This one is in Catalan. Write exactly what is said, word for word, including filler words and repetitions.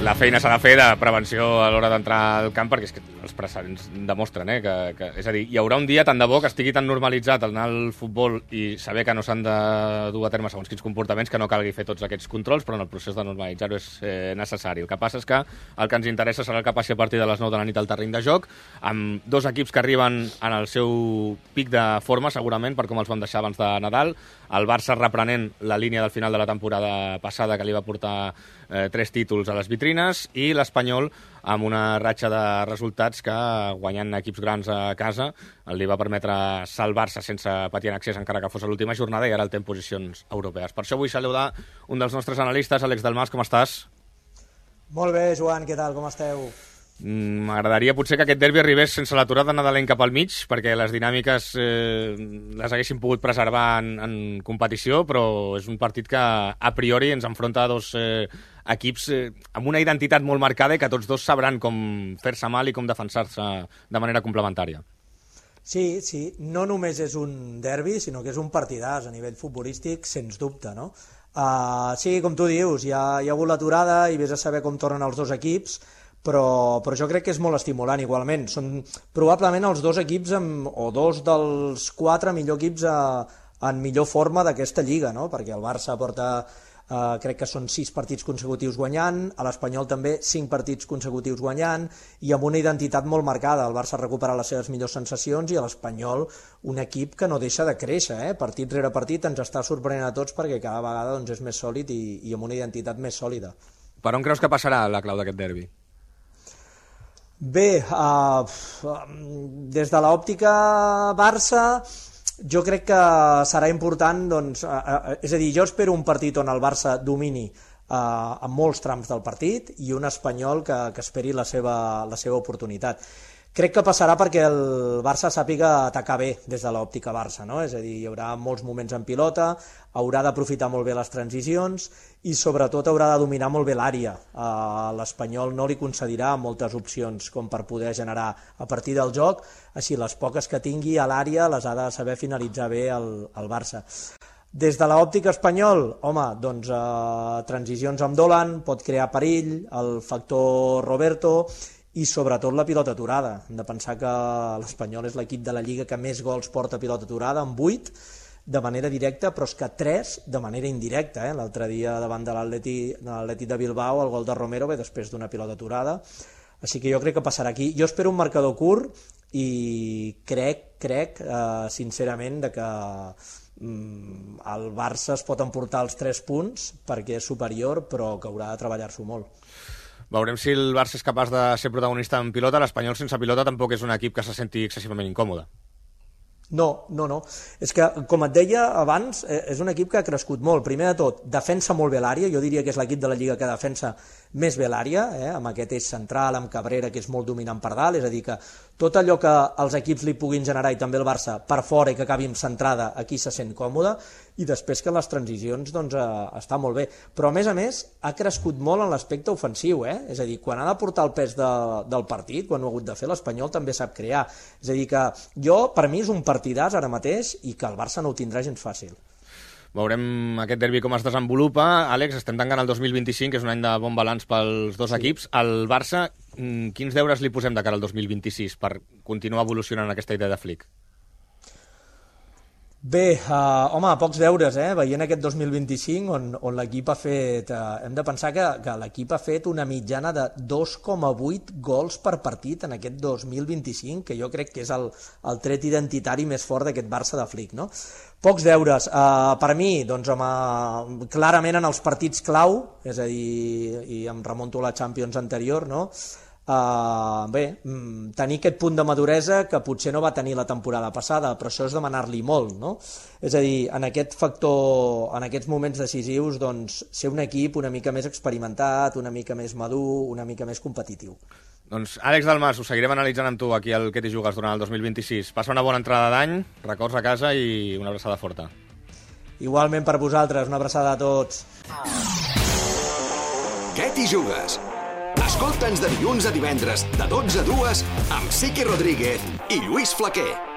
La feina s'ha de fer de prevenció a l'hora d'entrar al camp, perquè és que els precedents demostren, eh, que, que, és a dir, hi haurà un dia tant de bo que estigui tan normalitzat anar al futbol i saber que no s'han de dur a terme segons quins comportaments que no calgui fer tots aquests controls, però en el procés de normalitzar-ho és eh, necessari. El que passa és que el que ens interessa serà el que passi a partir de les nou de la nit al terreny de joc, amb dos equips que arriben en el seu pic de forma, segurament, per com els vam deixar abans de Nadal. El Barça reprenent la línia del final de la temporada passada que li va portar eh, tres títols a les vitrines, i l'Espanyol amb una ratxa de resultats que, guanyant equips grans a casa, li va permetre salvar-se sense patir en accés, encara que fos a l'última jornada, i ara el té en posicions europees. Per això vull saludar un dels nostres analistes, Àlex Dalmas, com estàs? Molt bé, Joan, què tal, com esteu? M'agradaria potser que aquest derbi arribés sense l'aturada nadalenca pel mig, perquè les dinàmiques eh, les haguéssim pogut preservar en, en competició, però és un partit que a priori ens enfronta a dos eh, equips eh, amb una identitat molt marcada i que tots dos sabran com fer-se mal i com defensar-se de manera complementària. Sí, sí, no només és un derbi, sinó que és un partidàs a nivell futbolístic, sens dubte, no? Uh, sí, com tu dius, hi ha, hi ha hagut l'aturada i vés a saber com tornen els dos equips, Però, però jo crec que és molt estimulant igualment. Són probablement els dos equips amb, o dos dels quatre millor equips a, en millor forma d'aquesta lliga, no? Perquè el Barça porta, eh, crec que són sis partits consecutius guanyant, a l'Espanyol també cinc partits consecutius guanyant, i amb una identitat molt marcada. El Barça ha recuperat les seves millors sensacions i l'Espanyol un equip que no deixa de créixer, eh? Partit rere partit ens està sorprenent a tots perquè cada vegada doncs, és més sòlid i, i amb una identitat més sòlida. Per on creus que passarà la clau d'aquest derbi? Bé, uh, des de l'òptica Barça, jo crec que serà important, doncs, uh, uh, és a dir, jo espero un partit on el Barça domini uh, en molts trams del partit i un Espanyol que, que esperi la seva, la seva oportunitat. Crec que passarà perquè el Barça sàpiga atacar bé des de l'òptica Barça, no? És a dir, hi haurà molts moments en pilota, haurà d'aprofitar molt bé les transicions i sobretot haurà de dominar molt bé l'àrea. Uh, L'Espanyol no li concedirà moltes opcions com per poder generar a partir del joc, així les poques que tingui a l'àrea les ha de saber finalitzar bé el, el Barça. Des de l'òptica espanyol, home, doncs uh, transicions amb Dolan, pot crear perill, el factor Roberto, i sobretot la pilota aturada. Hem de pensar que l'Espanyol és l'equip de la Lliga que més gols porta a pilota aturada, amb vuit de manera directa, però és que tres de manera indirecta. Eh? L'altre dia davant de l'Atlètic de Bilbao el gol de Romero ve després d'una pilota aturada, així que jo crec que passarà aquí. Jo espero un marcador curt i crec, crec eh, sincerament de que mm, el Barça es pot emportar els tres punts perquè és superior, però que haurà de treballar-s'ho molt. Veurem si el Barça és capaç de ser protagonista en pilota. L'Espanyol sense pilota tampoc és un equip que se senti excessivament incòmode. No, no, no. És que, com et deia abans, és un equip que ha crescut molt. Primer de tot, defensa molt bé l'àrea. Jo diria que és l'equip de la Lliga que defensa més bé l'àrea, eh? Amb aquest eix central, amb Cabrera, que és molt dominant per dalt. És a dir, que tot allò que els equips li puguin generar, i també el Barça, per fora i que acabi centrada, aquí se sent còmode. I després que les transicions doncs, eh, està molt bé. Però, a més a més, ha crescut molt en l'aspecte ofensiu. Eh? És a dir, quan ha de portar el pes de, del partit, quan ho ha hagut de fer, l'Espanyol també sap crear. És a dir, que jo, per mi, és un partidàs ara mateix i que el Barça no ho tindrà gens fàcil. Veurem aquest derbi com es desenvolupa. Àlex, estem tancant el dos mil vint-i-cinc, que és un any de bon balanç pels dos sí. equips. El Barça, quins deures li posem de cara al dos mil vint-i-sis per continuar evolucionant aquesta idea de Flick? Bé, uh, home, pocs deures, eh? Veient aquest dos mil vint-i-cinc on, on l'equip ha fet... Uh, hem de pensar que, que l'equip ha fet una mitjana de dos coma vuit gols per partit en aquest dos mil vint-i-cinc, que jo crec que és el, el tret identitari més fort d'aquest Barça de Flick, no? Pocs deures. Uh, per mi, doncs, home, clarament en els partits clau, és a dir, i em remonto a la Champions anterior, no?, Uh, bé, tenir aquest punt de maduresa que potser no va tenir la temporada passada, però això és demanar-li molt, no? És a dir, en aquest factor, en aquests moments decisius, doncs, ser un equip una mica més experimentat, una mica més madur, una mica més competitiu. Doncs, Àlex Dalmas, ho seguirem analitzant amb tu aquí al Que t'hi jugues durant el dos mil vint-i-sis. Passa una bona entrada d'any, records a casa i una abraçada forta. Igualment per vosaltres, una abraçada a tots. Que t'hi jugues? Escolta'ns de dilluns a divendres, de dotze a dues, amb Siqui Rodríguez i Lluís Flaquer.